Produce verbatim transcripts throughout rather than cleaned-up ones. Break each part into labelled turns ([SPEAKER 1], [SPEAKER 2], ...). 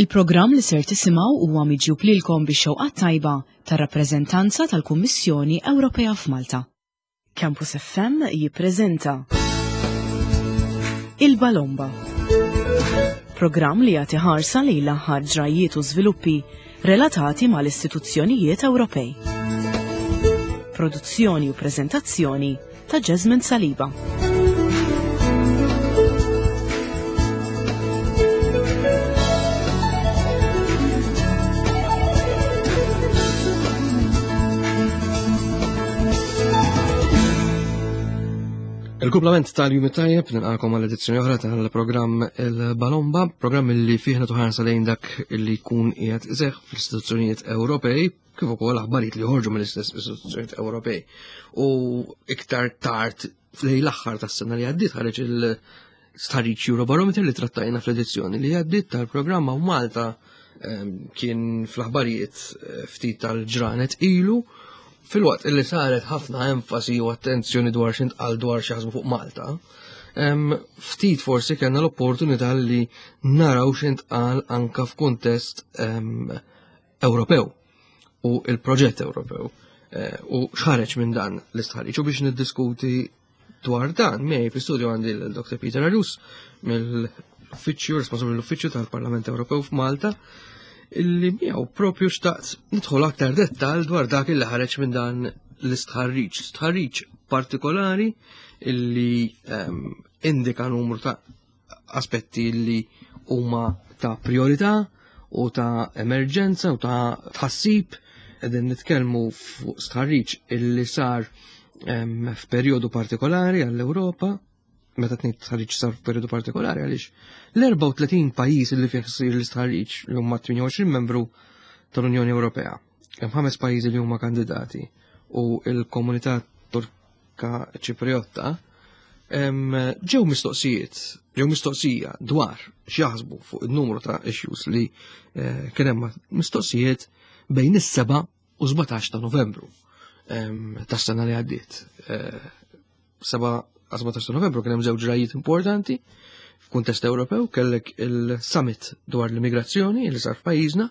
[SPEAKER 1] Il-programm li ser tisimgħu huwa miġjub lilkom bix-xewqa tajba tar-rappreżentanza tal-Kummissjoni Ewropea f'Malta. Campus F M jippreżenta Il-Balomba. Programm li jagħti ħarsa lejn l-aħħar ġrajiet u żviluppi relatati mal-istituzzjonijiet Ewropej. Produzzjoni u preżentazzjoni ta' Jasmine Saliba.
[SPEAKER 2] Il-kumplament tal-jum tajjeb, nilqakom għal edizzjoni oħra tal-programm Il-Balomba, programm li fih nagħtu ħarsa lejn dak li jkun qiegħed iseħħ fl-istituzzjonijiet Ewropej, kif ukoll aħbarijiet li joħorġu mill-istess istituzzjonijiet Ewropej. U iktar tard f'lejn l-aħħar tas-sena li għaddiet ħareġ il-stħarriġ Eurobarometer li trattajna fl-edizzjoni li għaddiet tal-programm u Malta ehm, kien fl-aħbarijiet eh, ftit tal-ġranet ilu. Filwaqt illi saret ħafna enfasi u attenzjoni dwar x'intqal dwar xi fuq Malta, ftit forsi kellna l-opportunità li naraw x'intqal anka f'kuntest Ewropew u il-proġett Ewropew eh, u x'ħareġ minn dan l-istħarriġ. U biex niddiskuti dwar dan, miegħi fl-istudio għandi l-Doktor Peter Agius mill-Uffiċċju, responsabbli l-Uffiċċju tal-Parlament Ewropew f'Malta, illi miegħu propju xtaqt nidħol aktar dettal dwar dak illi ħareġ minn dan l-istħarriġ. Stħarriġ partikolari illi um, indika numru ta' aspetti li huma ta' priorità u ta' emerġenza u ta' tħassib. Qegħdin nitkellmu fuq stħarriġ illi sar um, f'perjodu partikolari għall-Ewropa. Meta tnejn stħarriġ sar f'perjodu partikolari għaliex l-erbgħa u tletin pajjiż li fih isir l-istħarriġ li huma tmienja u għoxrin membru tal-Unjoni Ewropea. Hemm ħames pajjiżi li huma kandidati u l-komunità Torka Ċipriotta ġew mistoqsijiet, ġew mistoqsija dwar x'jaħsbu fuq il-numru ta' issues li eh, kien hemm mistoqsijiet bejn is-seba' u sbatax ta' Novembru tas-sena li għaddiet. Eh, seba' sbatax ta' Novembru kien hemm żewġ ġrajiet importanti f'kuntest Ewropew, kellek il-summit dwar l-immigrazzjoni li sar f'pajjiżna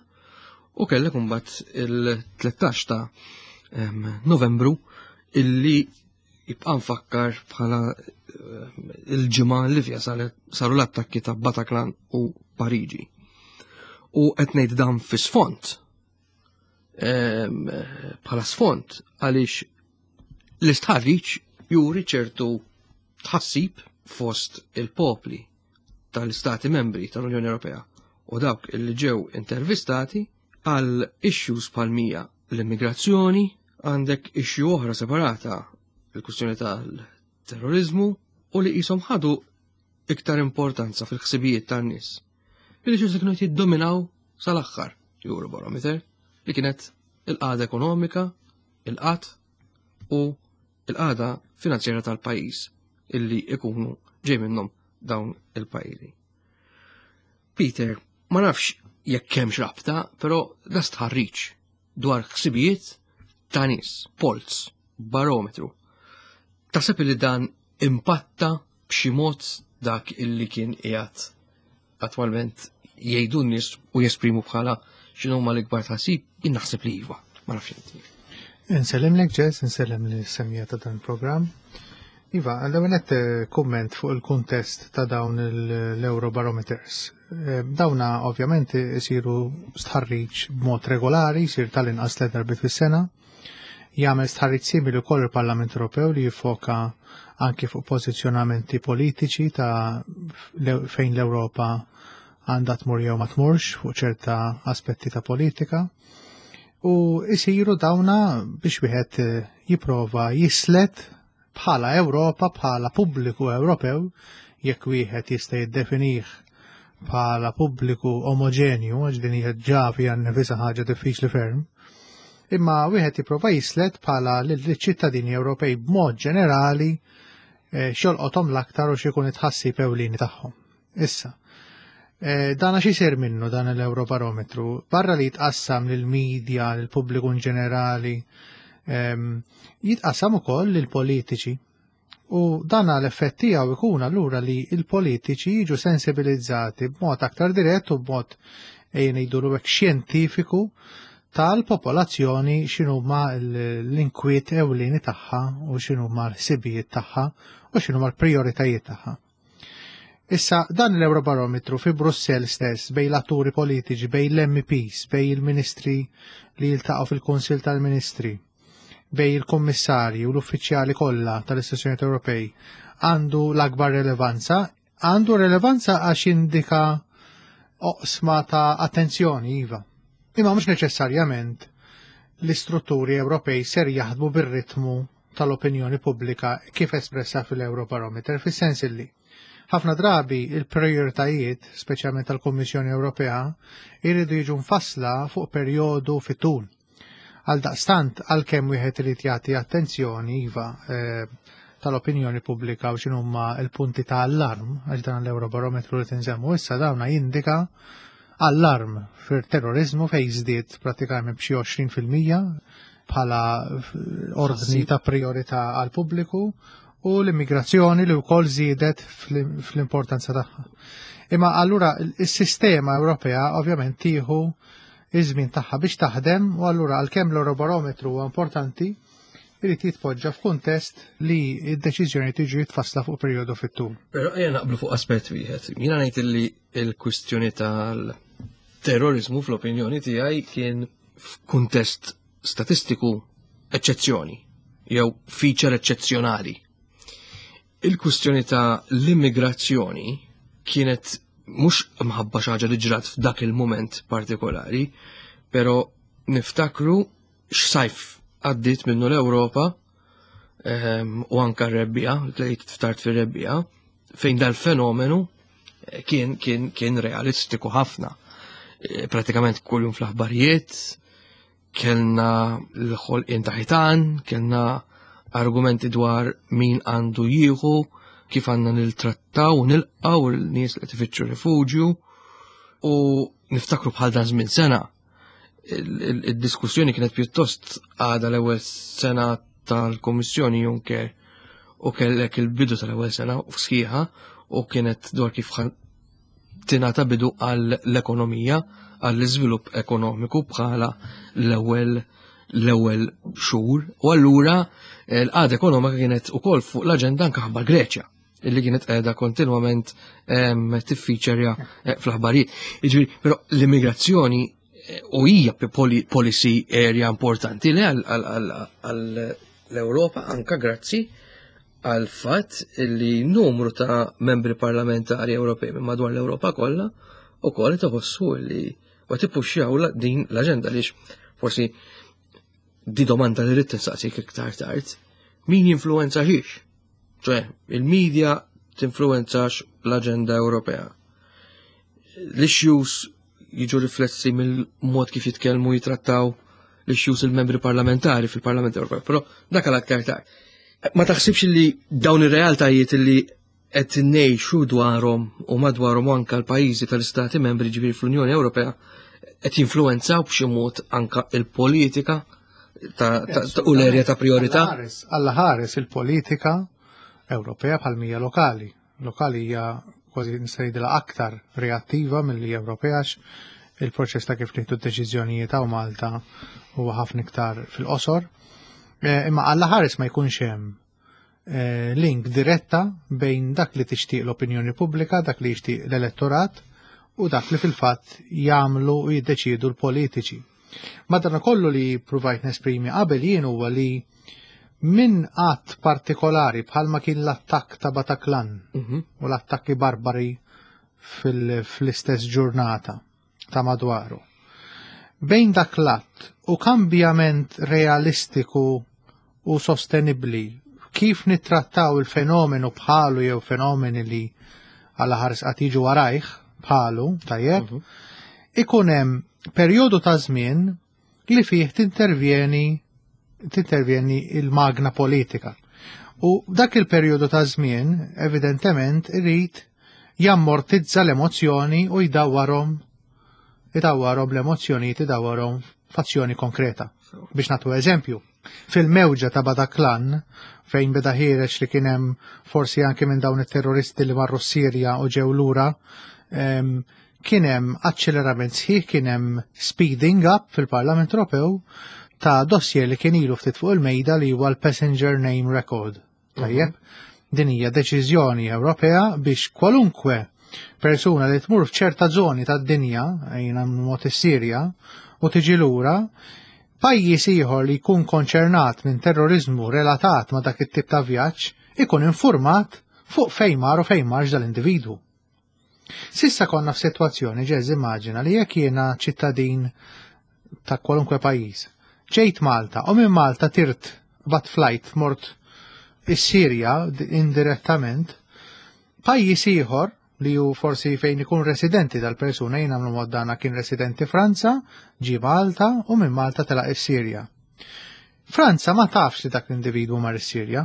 [SPEAKER 2] u kellek imbagħad il-tlettax ta' Novembru illi jibqa' nfakkar bħala il-ġimgħa li fiha saru l-attakki ta' Bataclan u Pariġi. U qed ngħid dan fi sfond, bħala sfond, għaliex l-istħarriġ juri ċertu tħassib fost il-popli tal-istati membri tal-Unjoni Ewropea u dawk li ġew intervistati għal issues bħal mija l-immigrazzjoni, għandek issue oħra separata, il-kwistjoni tal-terrorizmu, u li jisom ħadu iktar importanza fil-ħsibijiet tan-nies. Billi xi kienu jiddominaw sal-aħħar Eurobarometer, li kienet il-qagħda ekonomika, il-qgħad u il-qagħda finanzjera tal-pajjiż illi ikunu ġej minnhom dawn il-pajjiżi. Peter, ma nafx jekk hemmx rabta, però da stħarriġ dwar ħsibijiet ta' nies, polls, barometru. Taħseb li dan impatta b'xi mod dak illi kien qiegħed attwalment jgħidu n-nies u jesprimu bħala x'inhu l-ikbar tħassib? Jien naħseb li iva, ma nafx inti.
[SPEAKER 3] Insellem lek Jess, insellem li semija ta' dan il-programm. Iva, għal-ewwel kumment fuq il-kuntest ta' dawn l-Eurobarometers. Eh, dawna ovvjament isiru stħarriġ b'mod regolari, jsir tal-inqas tliet darbiet fis-sena. Jagħmel stħarriġ simili wkoll il-Parlament Ewropew li jiffoka anki fuq pożizzjonamenti politiċi ta' fejn l-Ewropa għandha tmur jew ma tmurx fuq ċerta aspetti ta' politika. U isiru dawna biex wieħed jipprova jislet bħala Ewropa, bħala pubbliku Ewropew, jekk wieħed jista' jiddefinih bħala pubbliku omogenju, għax din hija ġa fiha nnifisha ħaġa diffiċli ferm, imma wieħed jipprova jislet bħala lill-ċittadini Ewropej b'mod ġenerali, eh, x'jolqothom l-aktar u x'ikun it-tħassib ewlieni tagħhom. Issa, eh, dan għax isir minnu dan l-Eurobarometru, barra li jitqassam lill-medja, lill-pubbliku in ġenerali, ehm, jitqassam ukoll lill-politiċi. U dan l-effett tiegħu ikun allura li l-politiċi jiġu sensibilizzati b'mod aktar dirett u b'mod ejja ngħidulu hekk, xjentifiku tal-popolazzjoni, x'inhuma l-inkwiet ewlieni tagħha u x'inhuma l-ħsibijiet tagħha u x'inhuma l-prijoritajiet tagħha. Issa, dan l-Eurobarometru fi Brussell stess, bejn l-atturi politiċi, bejn l-M Ps, bejn il-ministri li jiltaqgħu fil-Kunsil tal-Ministri, bejn il-kommissarji u l-uffiċjali kollha tal-istituzzjonijiet Ewropej, għandu l-akbar relevanza, għandu relevanza għax indika oqsma ta' attenzjoni, iva. Imma mhux neċessarjament l-istrutturi Ewropej ser jaħdmu bir-ritmu tal-opinjoni pubblika kif espressa fil-Eurobarometer, fis-sens illi ħafna drabi il-prioritajiet, speċjalment tal-Kummissjoni Ewropea, jridu jiġu mfassla fuq perjodu fit-tul. Għal daqstant, għalkemm wieħed irid jagħti attenzjoni, iva, eh, tal-opinjoni pubblika u x'inhuma l-punti ta' allarm, għax dan l-Eurobarometru li tinżemmu issa dawna jindika allarm fir-terrorizmu fejn żdied pratikament b'xi għoxrin fil-mija bħala ordni ta' priorità għal pubbliku u l-immigrazzjoni li wkoll żiedet fl-importanza tagħha. Imma allura is-sistema Ewropea ovvjament tieħu iż-żmien tagħha biex taħdem u allura, għalkemm l-Eurobarometru huwa importanti, irid jitpoġġa f'kuntest li d-deċiżjoni tiġi jitfassla fuq perjodu fit-tul.
[SPEAKER 2] Però ejja naqblu fuq aspett wieħed. Jiena ngħid li l-kwistjoni tal-terrorizmu fl-opinjoni tiegħi kien f'kuntest statistiku eċċezzjoni jew feature eċċezzjonali. Il-kwistjoni ta' l-immigrazzjoni kienet mhux mħabba xi ħaġa li ġrat f'dak il-moment partikolari, però niftakru x'sajf għaddiet minnu l-Ewropa ehm, u anka r-rebbija, li ftart fir-rebbija, fejn dal-fenomenu kien kien kien realistiku ħafna. E, pratikament kuljum fl-aħbarijiet, kellna l-ħolqien ta' ħitan, kellna argumenti dwar min għandu jieħu, kif għandna niltrattaw u nilqaw il-nies li tifittxu rifuġju, u niftakru bħal dan żmien sena il-diskussjoni kienet pjuttost għada l-ewwel sena tal-Kommissjoni Juncker u kellek il-bidu tal-ewwel sena u sħiħa u kienet dwar kif tingħata bidu għall-ekonomija, għall-iżvilupp ekonomiku bħala l-ewwel l-ewwel xhur, u allura l-qagħda ekonomika kienet ukoll fuq l-aġenda anke ħabba Greċja illi kienet qiegħda kontinwament tiffiċerja eh, fl-aħbarijiet. Jiġifieri, però l-immigrazzjoni eh, u hija policy area importanti li għall-Ewropa, anka grazzi għal fatt li numru ta' membri parlamentari Ewropej minn madwar l-Ewropa kollha ukoll tħossu li u tippuxxjaw din l-aġenda li forsi di domanda li rrid tinsaqsik iktar tard, min jinfluenza xiex? Ċe, il-media tinfluenzax l-aġenda Ewropea. L-issues jiġu riflessi mill-mod kif jitkellmu, jitrattaw l-issues il-membri parlamentari fil-Parlament Ewropew, però dak għal aktar tard. Ma taħsibx li dawn ir-realtajiet li qed ngħixu dwarhom u madwarhom anka l-pajjiżi tal-Istati membri, ġifieri fl-Unjoni Ewropea, qed jinfluwenzaw b'xi mod anka il-politika ta' u l-erja ta' priorità?
[SPEAKER 3] Alla ħares il-politika Ewropea bħal mija lokali. Lokali hija kważi nista' aktar reattiva milli Ewropea, il-proċess ta' kif nieħdu d-deċiżjonijiet hawn Malta huwa ħafna iktar fil-qosor. Eh, imma Alla ħares ma jkunx hemm eh, link diretta bejn dak li tixtieq l-opinjoni pubblika, dak li jixtieq l-elettorat u dak li fil-fatt jagħmlu u jiddeċiedu l-politiċi. Madana kollu li provajt nesprimi qabel jien huwa li minn att partikolari bħalma kien l-attakk ta' Bataclan
[SPEAKER 2] Mhm.
[SPEAKER 3] u l-attakki barbari fil-istess ġurnata ta' madwaru. Bejn dak l-att u kambjament realistiku u sostenibli kif nittrattaw il-fenomenu bħalu jew fenomeni li għala ħares qatt jiġu warajh bħalu, tajjeb,
[SPEAKER 2] Mhm.
[SPEAKER 3] ikun hemm perjodu ta' żmien li fih tintervjeni tintervjeni il-magna politika. U dak il-perjodu ta' żmien, evidentement, irid jammortizza l-emozzjoni u jdawwarhom idawwarhom l-emozzjonijiet, idawwarhom f'azzjoni konkreta. Biex nagħtu eżempju, fil-mewġa ta' Bataclan, fejn beda ħiereġ li kien hemm forsi anke minn dawn it-terroristi li marru Sirja u ġew lura, em, Kien hemm aċċelerament sħiħ, kien hemm speeding up fil-Parlament Ewropew ta' dossier li kien ilu ftit fuq il-mejda li huwa l-Passenger Name Record. Tajjeb, din hija deċiżjoni Ewropea biex kwalunkwe persuna li tmur f'ċerta żoni tad-dinja, jiena mod is-Sirja, u tiġi lura, pajjiż ieħor li jkun konċernat minn terrorizmu relatat ma' dak it-tip ta' vjaġġ ikun informat fuq fejn mar u fejn marx dal-individwu. S'issa konna f'sitwazzjoni, ġeż, immaġina li jekk jiena ċittadin ta' kwalunkwe pajjiż, ġejt Malta u minn Malta tirt bat flight mort is-Sirja indirettament, pajjiż ieħor li ju forsi fejn ikun residenti dal-persuna, jien għamlu mod dana kien residenti Franza, ġi Malta u minn Malta telaq is-Sirja. Franza ma tafx li dak l-individwu mar is-Sirja,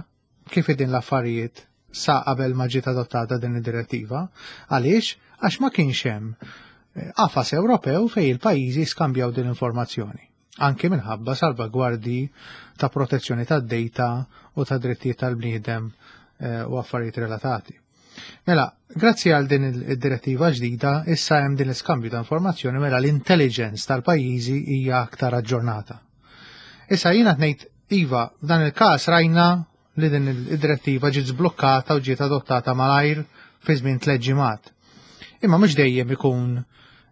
[SPEAKER 3] kif din l-affarijiet sa qabel ma ġiet adottata din id-direttiva. Għaliex? Għax ma kienx hemm eh, qafas Ewropew fejn il-pajjiżi skambjaw din l-informazzjoni. Anke minħabba salvagwardi ta' protezzjoni tad-data u ta' drittijiet tal-bniedem eh, u affarijiet relatati. Mela, grazzi għal din id-direttiva ġdida, issa hemm din l-iskambju ta' informazzjoni, mela l-intelligence tal-pajjiżi hija aktar aġġornata. Issa jiena ngħid iva, dan il-każ rajna li din id-direttiva ġiet żblukkata u ġiet adottata malajr fi żmien tliet ġimgħat. Imma mhux dejjem ikun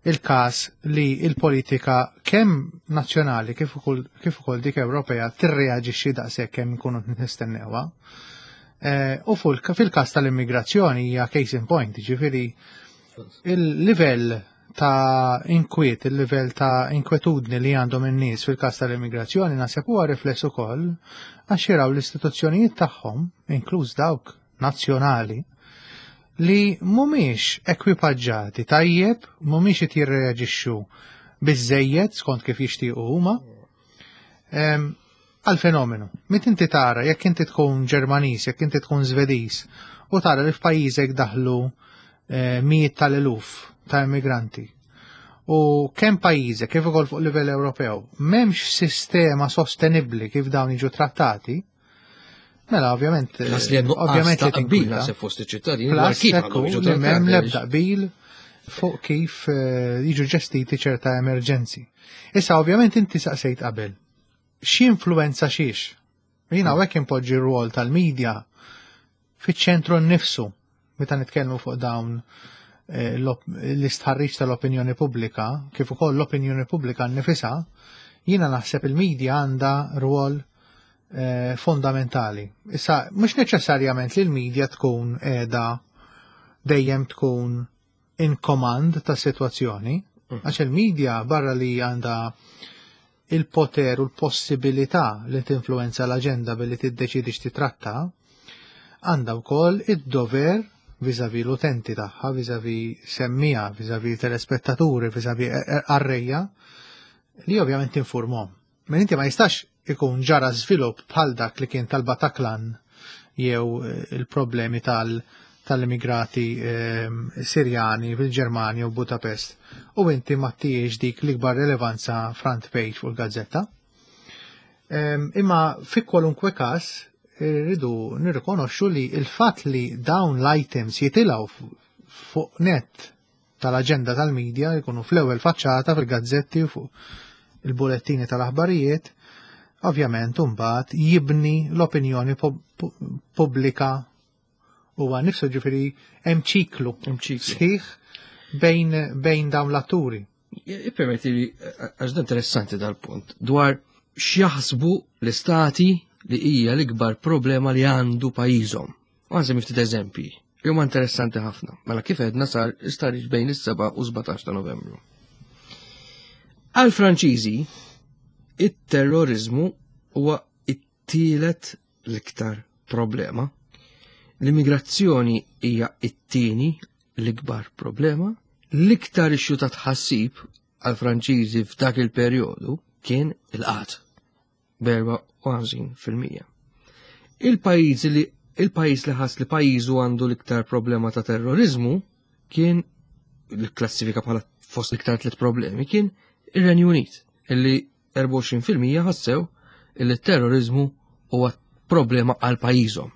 [SPEAKER 3] il-każ li il-politika kemm nazzjonali kif ukoll kif ukoll dik Ewropea tirreaġixxi daqshekk kemm nkunu nistennewha. Eh, u fil-każ tal-immigrazzjoni hija case in point, ġifieri il-livell ta' inkwiet, il-livell ta' inkwetudni li għandhom in-nies fil-każ tal-immigrazzjoni naħseb huwa rifless ukoll għax jaraw l-istituzzjonijiet tagħhom, inkluż dawk nazzjonali, li mhumiex ekwipaġġati tajjeb, mhumiex qed jirreaġixxu biżejjed skont kif jixtiequ huma għal fenomenu. Meta inti tara, jekk inti tkun Ġermaniż, jekk inti tkun Svediż, u tara li f'pajjiżek daħlu eh, mijiet tal-eluf ta' immigranti. U kemm pajjiżek kif ukoll fuq livell Ewropew m'hemmx sistema sostenibbli kif dawn jiġu trattati, mela ovvjament
[SPEAKER 2] ovvjament li qbil naħseb fost iċ-ċittadini
[SPEAKER 3] dwar kif għandhom jiġu trattati. M'hemm l-ebda qbil fuq kif eh, jiġu ġestiti ċerta emerġenzi. Issa ovvjament inti saqsejt qabel x'influenza xiex. Jiena hawnhekk impoġġi r-rwol tal-medja fiċ-ċentru nnifsu meta nitkellmu fuq dawn eh, l-istħarriġ tal-opinjoni pubblika, kif ukoll l-opinjoni pubblika nnifisha, jiena naħseb il-medja għandha rwol eh, fondamentali. Issa, mhux neċessarjament li l-medja tkun qiegħda dejjem tkun in command ta' situazzjoni, mm. għax il-medja barra li għandha il-poter u l-possibilità li tinfluenza l-aġenda billi tiddeċidi x'titratta, għandha wkoll id-dover vis-à-vis l-utenti tagħha, vis-à-vis semmiegħa, vis-à-vis telespettaturi, vis-à-vis qarrejja, li ovvjament tinformahom. Men inti ma jistax ikun ġara żvilupp bħal dak li kien tal-Bataclan jew il-problemi tal- tal-immigrati eh, Sirjani fil-Ġermanja u Budapest u inti ma ttihiex dik l-ikbar relevanza front page fuq il-gazzetta. Imma fi kwalunkwe każ rridu nirrikonoxxu li il-fatt li dawn l-items jitilgħu fuq net tal-aġenda tal-medja, jkunu fl-ewwel faċċata fil-gazzetti u fuq il-bulettini tal-aħbarijiet, ovvjament mbagħad jibni l-opinjoni pubblika huwa nifsu, ġifieri hemm ċiklu sħiħ bejn bejn dawn l-atturi.
[SPEAKER 2] Ippermetti li, għax dan interessanti dal-punt, dwar x'jaħsbu l-istati li hija l-ikbar problema li għandu pajjiżhom. U għanżem ftit eżempji. Huma interessanti ħafna. Mela kif għedna sar istħarriġ bejn is-seba' u sbatax ta' Novembru. Għal Franċiżi, it-terrorizmu huwa it-tielet l-iktar problema. L-immigrazzjoni hija it-tieni l-ikbar problema. L-iktar issue ta' tħassib għal Franċiżi f'dak il-perjodu kien il-qgħad b'erbgħa u ħamsin fil-mija. Il-pajjiż li il-pajjiż li ħass li pajjiżu għandu l-iktar problema ta' terrorizmu kien l-klassifika bħala fost l-iktar tliet problemi kien ir-Renju Unit, illi erbgħa u għoxrin fil-mija ħassew illi terrorizmu huwa problema għal pajjiżhom.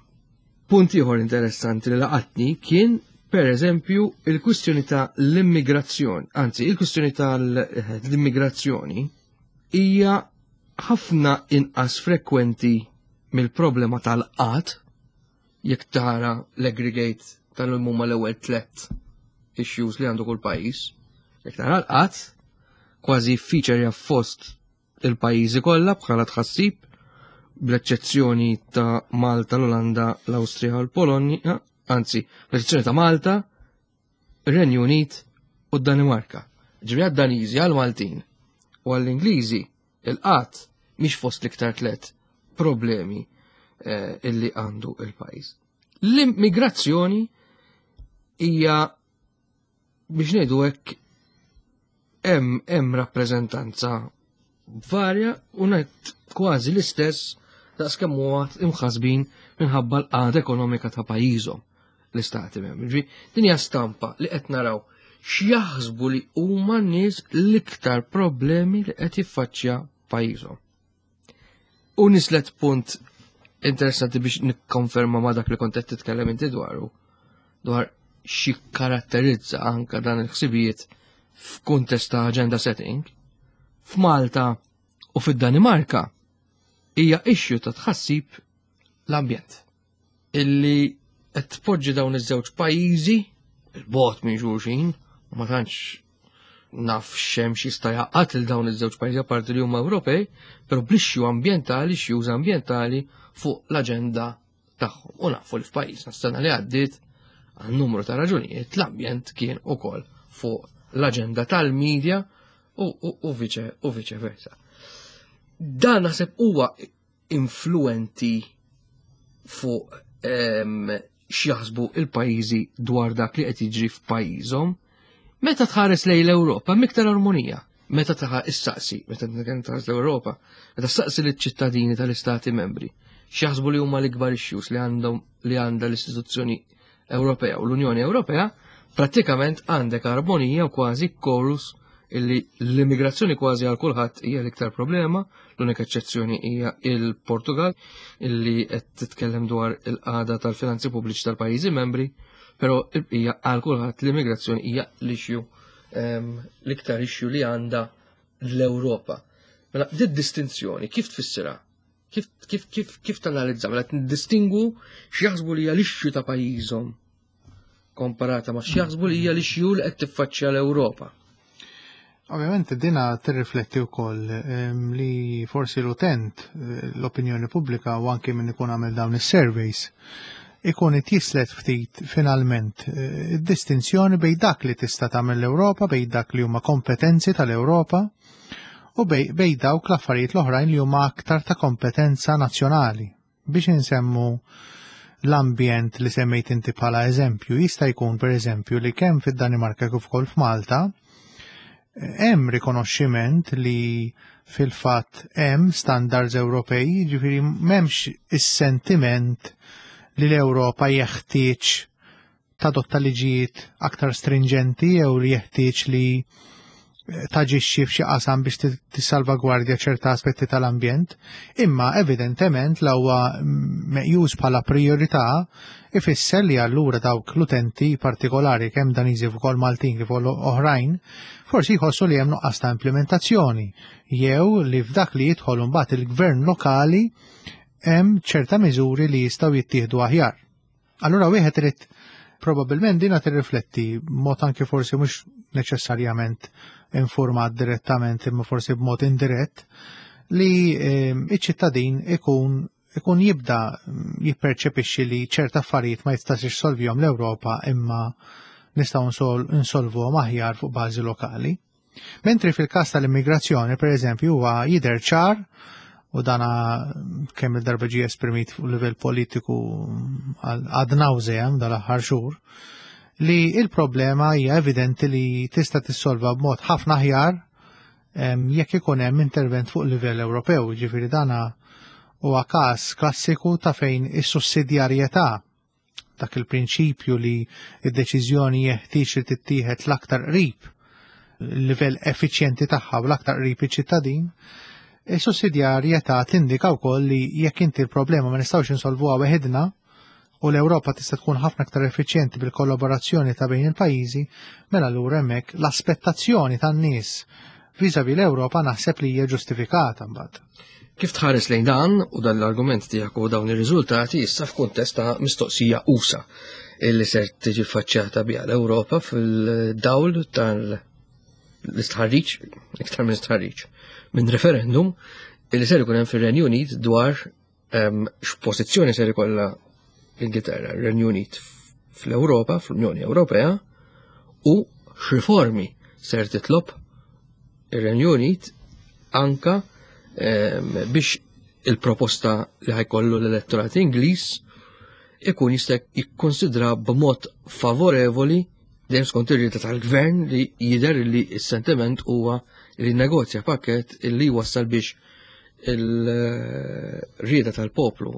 [SPEAKER 2] Punt ieħor interessanti li laqatni kien Per eżempju, il-kwistjoni ta' l-immigrazzjoni, anzi, il-kwistjoni tal-immigrazzjoni hija ħafna inqas frekwenti mill-problema tal-qgħad jekk tara l-aggregate tal-huma l-ewwel tlet issues li għandu kull pajjiż. Jekk tara l-qgħad, kważi feature fost il-pajjiżi kollha bħala tħassib, bl-eċċezzjoni ta' Malta, l-Olanda, l-Awstrija u l-Polonja, anzi, bl-eċċezzjoni ta' Malta, ir-Renju Unit u d-Danimarka. Ġifieri għad-Daniżi, għal-Maltin u għall-Ingliżi il-qgħad mhix fost l-iktar tlet problemi eh, illi għandu il-pajjiż. L-immigrazzjoni hija, biex ngħidu hekk, hemm hemm rappreżentanza varja u ngħid kważi l-istess daqs kemm huwa imħasbin minħabba l-qagħda ekonomika ta' pajjiżhom l-istati membri. Din hija stampa li qed naraw x'jaħsbu li huma n-nies l-iktar problemi li qed jiffaċċja pajjiżhom. U nislet punt interessanti biex nikkonferma ma dak li kont qed titkellem inti dwaru, dwar xi karatterizza anka dan il-ħsibijiet f'kuntest ta' agenda setting. F'Malta u fid-Danimarka hija issue ta' tħassib l-ambjent illi qed tpoġġi dawn iż-żewġ pajjiżi il-bogħod minn xulxin, u ma tantx naf xem x'jista' jaqgħad il dawn iż-żewġ pajjiżi apparti li huma Ewropej, però bl-issue ambjentali, issues ambjentali fuq l-aġenda tagħhom. U nafu li f'pajjiżna s-sena li għaddiet, għal numru ta' raġunijiet, l-ambjent kien ukoll fuq l-aġenda tal-medja u, u, u viċe u viċe versa. Dan naħseb huwa influenti fuq em, x'jaħsbu il-pajjiżi dwar dak li qed jiġri f'pajjiżhom. Meta tħares lejn l-Ewropa, miktar armonija. Meta taħa issaqsi, meta tħares l-Ewropa, meta ssaqsi liċ-ċittadini tal-istati membri, x'jaħsbu li huma l-ikbar issues li għandhom li għandha l-istituzzjoni Ewropea u l-Unjoni Ewropea, prattikament għandek armonija u kważi chorus illi l-immigrazzjoni kważi għal kulħadd hija l-iktar problema, l-unika eċċezzjoni hija il-Portugal illi qed titkellem dwar il-qagħda tal-finanzi pubbliċi tal-pajjiżi membri, però il-bqija għal kulħadd l-immigrazzjoni hija l-issue ehm, l-iktar issue li għandha l-Ewropa. Mela, dit distinzjoni kif tfissirha? Kif kif kif kif tanalizza? Mela distingu x'jaħsbu li hija l-issue ta' pajjiżhom komparata ma' x'jaħsbu li hija l-issue li qed tiffaċċja l-Ewropa.
[SPEAKER 3] Ovvjament dina tirrifletti wkoll ehm, li forsi l-utent, eh, l-opinjoni pubblika u anke min ikun għamel dawn is-surveys ikun jislet ftit finalment eh, id-distinzjoni bejn dak li tista' tagħmel l-Ewropa, bejn dak li huma kompetenzi tal-Ewropa u bej, bej dawk l-affarijiet l-oħrajn li huma aktar ta' kompetenza nazzjonali. Biex insemmu l-ambjent li semmejt inti bħala eżempju, jista' jkun per eżempju li kemm fid-Danimarka kif ukoll f'Malta hemm rikonoxximent li fil-fatt hemm standards Ewropej, ġifieri m'hemmx is-sentiment li l-Ewropa jeħtieġ tadotta liġijiet aktar stringenti jew li jeħtieġ li taġixxi f'xi qasam biex tissalvagwardja ċerta aspetti tal-ambjent, imma evidentement la huwa meqjus bħala priorità ifisser li allura dawk l-utenti partikolari, kemm Daniżi ukoll Maltin kif oħrajn, forsi jħossu li hemm nuqqas ta' implementazzjoni jew li f'dak li jidħol mbagħad il-gvern lokali hemm ċerta miżuri li jistgħu jittieħdu aħjar. Allura wieħed irid probabbilment dina tirrifletti mod anke forsi mhux neċessarjament informat direttament imma forsi b'mod indirett li ehm, iċ-ċittadin ikun ikun jibda jipperċepixxi li ċerta affarijiet ma jistax jissolvihom l-Ewropa imma nistgħu insolvuhom aħjar fuq bażi lokali. Mentri fil-każ tal-immigrazzjoni, per eżempju, huwa jidher ċar u dana kemm il-darba ġie esprimit fuq livell politiku ad nauseam dal-aħħar xhur, li il-problema hija evidenti li tista' tissolva b'mod ħafna aħjar jekk ikun hemm intervent fuq livell Ewropew. Ġifieri dana huwa każ klassiku ta' fejn is-sussidjarjetà, dak il-prinċipju li id-deċiżjoni jeħtieġ li tittieħed l-aktar qrib il-livell effiċjenti tagħha u l-aktar qrib iċ-ċittadin, is-sussidjarjetà tindika wkoll li jekk inti l-problema ma nistgħux insolvuha weħidna, U l-Ewropa tista' tkun ħafna aktar effiċjenti bil-kollaborazzjoni ta' bejn il-pajjiżi, mela allura hemmhekk l-aspettazzjoni tan-nies vis-à-vis l-Ewropa naħseb li hija ġustifikata mbagħad.
[SPEAKER 2] Kif tħares lejn dan u dan l-argument tiegħek u dawn ir-riżultati issa f'kuntest ta' mistoqsija usa' illi ser tiġi faċċjata biha l-Ewropa fil-dawl tal-istħarriġ, iktar minn istħarriġ, minn referendum illi ser ikun hemm fir-Renju Unit dwar ehm, x'pożizzjoni ser ikollha l-Ingilterra, ir-Renju Unit fl-Ewropa, fl-Unjoni Ewropea, u x'riformi ser titlob ir-Renju Unit anka ehm, biex il-proposta li ħa jkollu l-elettorat Ingliż ikun jista' jikkonsidra b'mod favorevoli, dejjem skont ir-rieda tal-gvern li jidher li s-sentiment huwa li negozja pakket li wassal biex il-rieda tal-poplu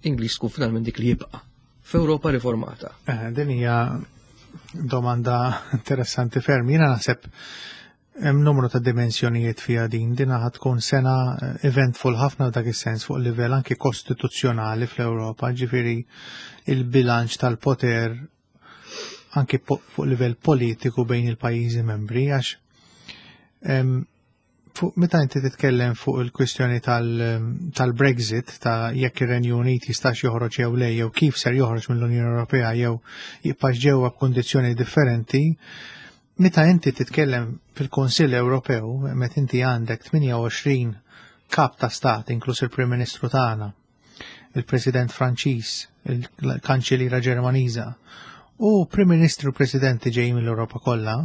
[SPEAKER 2] Ingliż tkun finalment dik li jibqa' f'Ewropa riformata.
[SPEAKER 3] Eh, din hija domanda interessanti ferm. Jiena naħseb hemm numru ta' dimensjonijiet fiha din. Din ħa tkun sena eh, eventful ħafna f'dak is-sens fuq livell anke kostituzzjonali fl-Ewropa, ġifieri il-bilanċ tal-poter anke fuq livell politiku bejn il-pajjiżi membri, għax fuq meta inti titkellem fuq il-kwistjoni tal-Brexit, ta' jekk ir-Renju Unit jistax joħroġ jew le, jew kif ser joħroġ mill-Unjoni Ewropea jew jibqax ġewwa b'kundizzjoni differenti, meta inti titkellem fil-Kunsill Ewropew, meta inti għandek tmienja u għoxrin kap ta' stat, inkluż il-Prim Ministru tagħna, il-President Franċiż, il-Kanċelliera Ġermaniża, u Prim Ministru u Presidenti ġejjin mill-Ewropa kollha,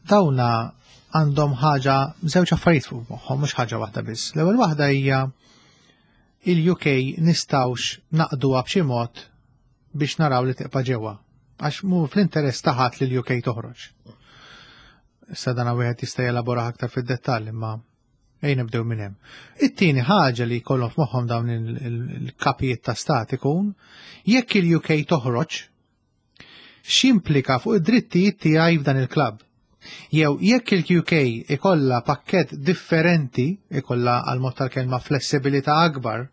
[SPEAKER 3] dawna għandhom ħaġa, żewġ affarijiet fuq moħħhom, mhux ħaġa waħda biss. L-ewwel waħda hija il-U K nistgħux naqduha b'xi mod biex naraw li tibqa' ġewwa. Għax mhu fl-interess ta' ħadd li l-U K toħroġ. Issa dan wieħed jista' jelabora aktar fid-dettall, imma ejja nibdew minn hemm. It-tieni ħaġa li jkollhom f'moħħhom dawn il-kapijiet ta' stat ikun jekk il-U K toħroġ, x'implika fuq id-drittijiet tiegħi f'dan il-klabb. Jew jekk il-U K ikolla pakket differenti, ikolla għal mod tal-kelma flessibilità akbar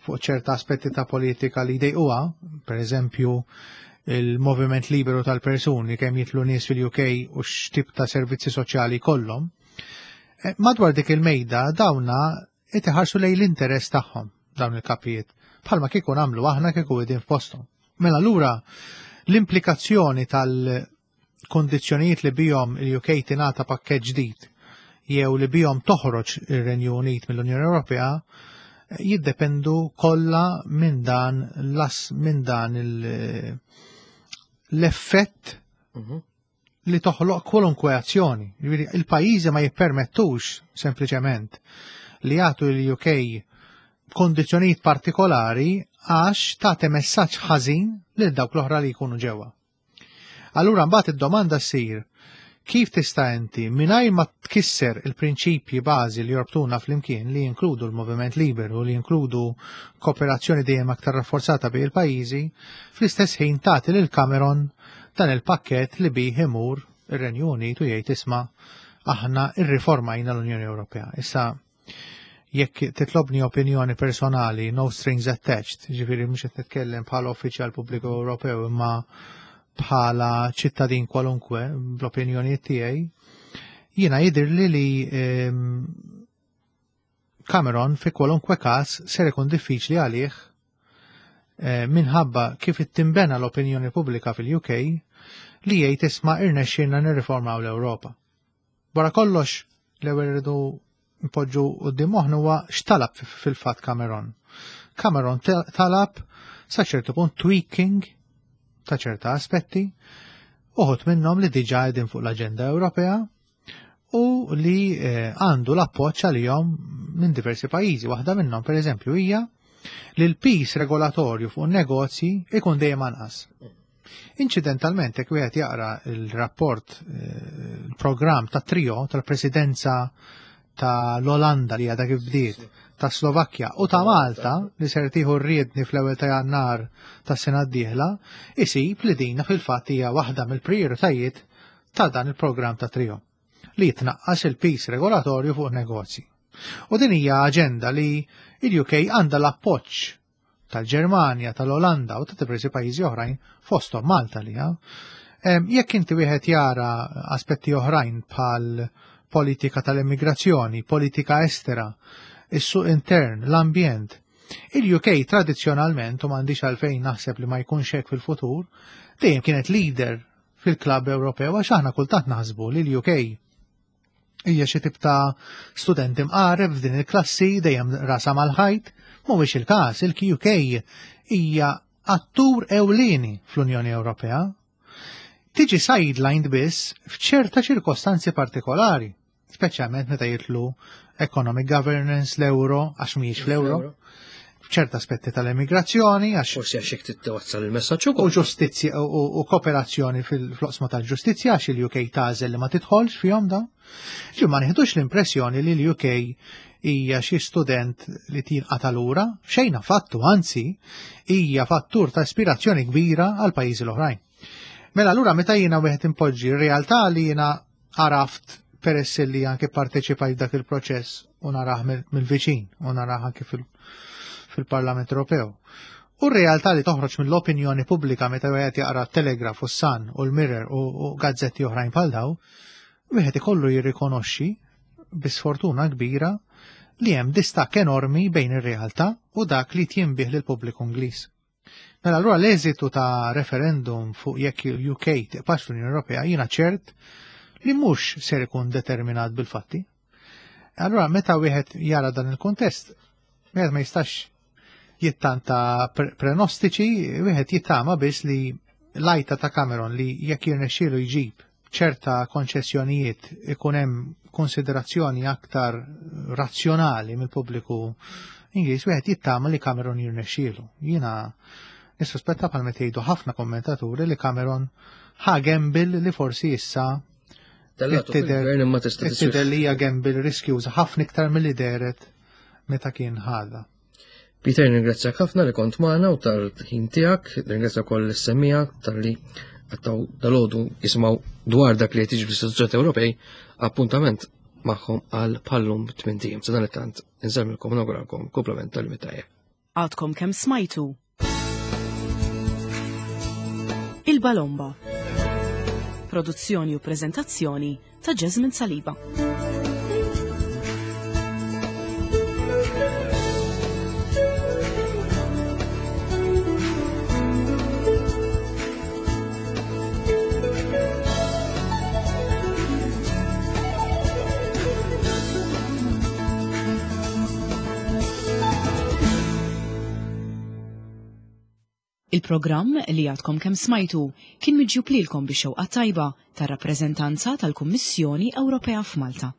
[SPEAKER 3] fuq ċerta aspetti ta' politika li jdejquha, per eżempju il-moviment liberu tal-persuni, kemm jidħlu nies fil-U K u x'tip ta' servizzi soċjali kollhom, eh, madwar dik il-mejda dawna iħarsu lejn l-interess tagħhom dawn il-kapijiet, bħalma kieku nagħmlu aħna kieku qegħdin f'posthom. Mela lura l-implikazzjoni tal- kondizzjonijiet li bihom il-U K tingħata pakkett ġdid jew li bihom toħroġ ir-Renju Unit mill-Unjoni Ewropea jiddependu kollha minn dan las minn dan l-effett mhm. li toħloq kwalunkwe azzjoni. Il-pajjiżi ma jippermettux sempliċement li jagħtu l-U K kondizzjonijiet partikolari għax tagħti messaġġ ħażin lil dawk l-oħra li jkunu ġewwa. Allura mbagħad id-domanda ssir kif tista' inti, mingħajr ma tkisser il-prinċipji bażi li jorbtuna flimkien, li jinkludu l-moviment liberu, li jinkludu kooperazzjoni dejjem aktar rafforzata bejn il-pajjiżi, fl-istess ħin tagħti lil Cameron dan il-pakkett li bih imur ir-Renju Unit u jgħid, "Isma', aħna irriformajna l-Unjoni Ewropea." Issa jekk titlobni opinjoni personali, no strings attached, ġifieri mhux qed nitkellem bħala uffiċjal pubbliku Ewropew imma bħala ċittadin kwalunkwe bl-opinjoni tiegħi, jiena jidhirli li ehm, Cameron fi kwalunkwe każ ser ikun diffiċli għalih eh, minħabba kif ittimbena l-opinjoni pubblika fil-U K li jgħid, "Isma', irnexxielna nirriformaw l-Ewropa." Wara kollox, l-ewwel irridu npoġġu quddiem moħħna huwa x'talab fil-fatt Cameron. Cameron talab sa ċertu punt tweaking ta' ċerta aspetti, uħud minnhom li diġà qegħdin fuq l-aġenda Ewropea u li eh, għandu l-appoġġ għalihom minn diversi pajjiżi. Waħda minnhom, pereżempju, hija li l-pis regolatorju fuq negozji ikun dejjem anqas. Incidentalment, jekk wieħed jaqra il-rapport, eh, il-programm ta' trio tal-presidenza ta' l-Olanda li għadha kif bdiet, ta' Slovakkja u ta' Malta li ser tieħu r-riedni fl-ewwel ta' Jannar tas-sena d-dieħla, isib li dina fil-fatt hija waħda mill-prijoritajiet ta' dan il-programm ta' trio li jitnaqqas il-pis regolatorju fuq negozji. U din hija aġenda li il-U K għandha l-appoġġ tal-Ġermanja, tal-Olanda u ta' diversi pajjiżi oħrajn fosthom Malta li ha. Jekk inti wieħed jara aspetti oħrajn bħal politika tal-immigrazzjoni, politika estera, is-suq intern, l-ambjent, il-U K tradizzjonalment, u m'għandix għalfejn naħseb li ma jkunx hekk fil-futur, dejjem kienet leader fil-klabb Ewropew, għax aħna kultant naħsbu li l-U K hija xi tip ta' student imqareb f'din il-klassi dejjem rasa mal-ħajt. Mhuwiex il-każ, il-U K hija attur ewlieni fl-Unjoni Ewropea. Tiġi sidelined biss f'ċerta ċirkostanzi partikolari, speċjalment meta jidħlu economic governance, l-euro, għax mhijiex fl-euro, f'ċerta aspetti tal-immigrazzjoni, għax
[SPEAKER 2] Forsi għax jekk titwassal il-messaġġ
[SPEAKER 3] u
[SPEAKER 2] ukoll.
[SPEAKER 3] Ġustizzja u, u kooperazzjoni fil-oqsma tal-ġustizzja, għax il-U K tagħżel li ma tidħolx fihom da. Ġi ma nieħdux l-impressjoni li l-U K hija xi student li tinqata' lura, xejn affattu, anzi hija fattur ta' ispirazzjoni kbira għal pajjiżi l-oħrajn. Mela allura meta jiena wieħed impoġġi r-realtà li jiena għaraft peress li anke parteċipajt dak il-proċess u narah mill-viċin u narah anke fil- fil-Parlament Ewropew. U r-realtà li toħroġ mill-opinjoni pubblika meta wieħed jaqra Telegraph u Sun u l-Mirror u, u gazzetti oħrajn bħal daw, wieħed ikollu jirrikonoxxi bi sfortuna kbira li hemm distakk enormi bejn ir-realtà u dak li tinbiegħ lil pubbliku Ingliż. Mela allura l-eżitu ta' referendum fuq jekk il-U K tiqpax fl-Unjoni Ewropea jiena ċert li mhux ser ikun determinat bil-fatti. Allura meta wieħed jara dan il-kuntest, wieħed ma jistax jittanta prenostiċi, wieħed jittama biss li l-għajta ta' Cameron li jekk jirnexxielu jġib ċerta konċessjonijiet ikun hemm konsiderazzjoni aktar razzjonali mill-pubbliku Ingliż, wieħed jittama li Cameron jirnexxielu. Jiena nissospetta, bħal meta jgħidu ħafna kommentaturi, li Cameron ħa gamble li forsi issa tidher li hija gamble riskjuża ħafna iktar milli dehret meta kien ħadha.
[SPEAKER 2] Peter, ringrazzjak ħafna li kont magħna u tal-ħin tiegħek, ringrazzja wkoll is-semmiegħa talli qatgħu dalgħodu jisimgħu dwar dak li qed jiġri fl-istituzzjonijiet Ewropej, appuntament magħhom għal bħal-lum tmint ijiem. Sadanittant, insellmilkom u nawguralkom kumplament tal-jum it-tajjeb.
[SPEAKER 1] Għadkom kemm smajtu Il-Balomba. Produzzjoni u prezentazzjoni ta' Jasmine Saliba. Il-programm li għadkom kemm smajtu kien miġjub lilkom bix-xewqa tajba tar-rappreżentanza tal-Kummissjoni Ewropea f'Malta.